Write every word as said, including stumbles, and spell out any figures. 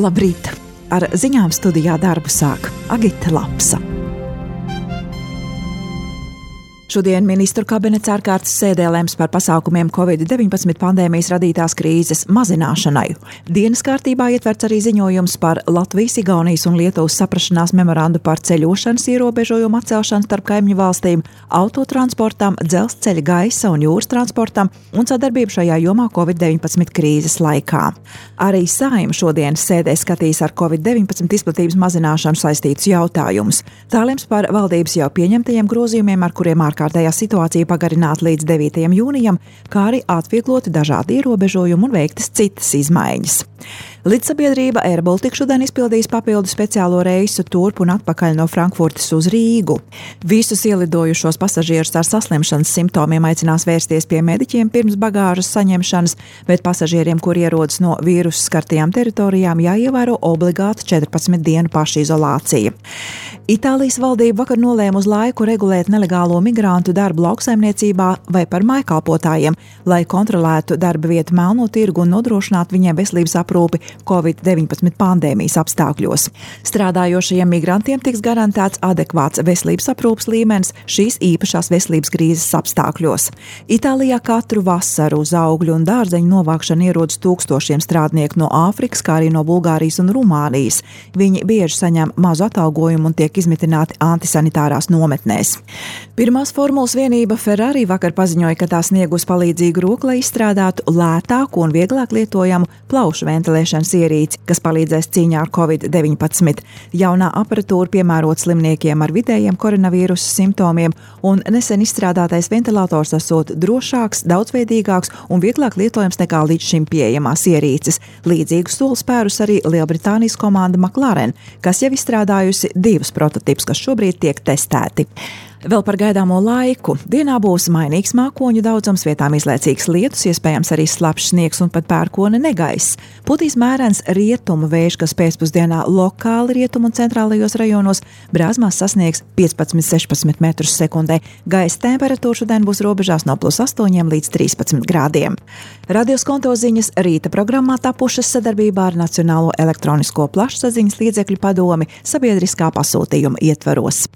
Labrīt! Ar ziņām studijā darbu sāk Agita Lapsa. Šodien ministru kabinets ārkārtas sēdē lems par pasākumiem covid deviņpadsmit pandēmijas radītās krīzes mazināšanai. Dienas kārtībā ietverts arī ziņojums par Latvijas, Igaunijas un Lietuvas saprašanās memorandu par ceļošanas ierobežojumu atcelšanu starp kaimiņu valstīm, autotransportam, dzelzceļa, gaisa un jūras transportam un sadarbību šajā jomā covid deviņpadsmit krīzes laikā. Arī Saeima šodienas sēdē skatīs ar covid deviņpadsmit izplatības mazināšanu saistītus jautājumus. Tā lems par valdības jau pieņemtajiem grozījumiem, ar kuriem ārkārtīgi kārtējā situācija pagarināta līdz devītajam jūnijam, kā arī atviegloti dažādi ierobežojumi un veiktas citas izmaiņas. Lidsabiedrība Air Baltica šodien izpildīs papildu speciālo reisu turp un atpakaļ no Frankfurtes uz Rīgu. Visus ielidojušos pasažierus ar saslimšanas simptomiem aicinās vērsties pie mediķiem pirms bagāžas saņemšanas, bet pasažieriem, kur ierodas no vīrusu skartajām teritorijām, jāievēro obligāta četrpadsmit dienu pašizolācija. Itālijas valdība vakar nolēma uz laiku regulēt nelegālo migrantu darbu lauksaimniecībā vai par mājkalpotājiem, lai kontrolētu darba vietu melno tirgu un nodrošinātu viņiem veselības aprūpi covid deviņpadsmit pandēmijas apstākļos. Strādājošajiem migrantiem tiks garantēts adekvāts veselības aprūpes līmenis šīs īpašās veselības krīzes apstākļos. Itālijā katru vasaru uz augļu un dārzeņu novākšanu ierodas tūkstošiem strādnieku no Āfrikas, kā arī no Bulgārijas un Rumānijas. Viņi bieži saņem mazu atalgojumu un tiek izmitināti antisanitārās nometnēs. Pirmās formulas vienība Ferrari vakar paziņoja, ka tā sniegus palīdzīgu roku, lai izstrādātu lētāku un vieglāk lietojamu plaušu ventilēšanas ierīci, kas palīdzēs cīņā ar covid deviņpadsmit. Jaunā aparatūra piemērota slimniekiem ar vidējiem koronavīrusa simptomiem, un nesen izstrādātais ventilators esot drošāks, daudzveidīgāks un vieglāk lietojams nekā līdz šim pieejamās ierīces. Līdzīgu soli spērus arī Lielbritānijas komanda McLaren, kas jau izstrādājusi divus prototipus, kas šobrīd tiek testēti. Vēl par gaidāmo laiku. Dienā būs mainīgs mākoņu daudzums, vietām izlaicīgs lietus, iespējams arī slapjš sniegs un pat pērkona negaiss. Putīs mērens rietumu vējš, kas pēcpusdienā lokāli rietumu un centrālajos rajonos Brāzmās sasniegs piecpadsmit līdz sešpadsmit metrus sekundē. Gaisa temperatūra šodien būs robežās no plus astoņiem līdz trīspadsmit grādiem. Radios konto ziņas rīta programmā tapušas sadarbībā ar Nacionālo elektronisko plašsaziņas līdzekļu padomi sabiedriskā pasūtījuma ietvaros.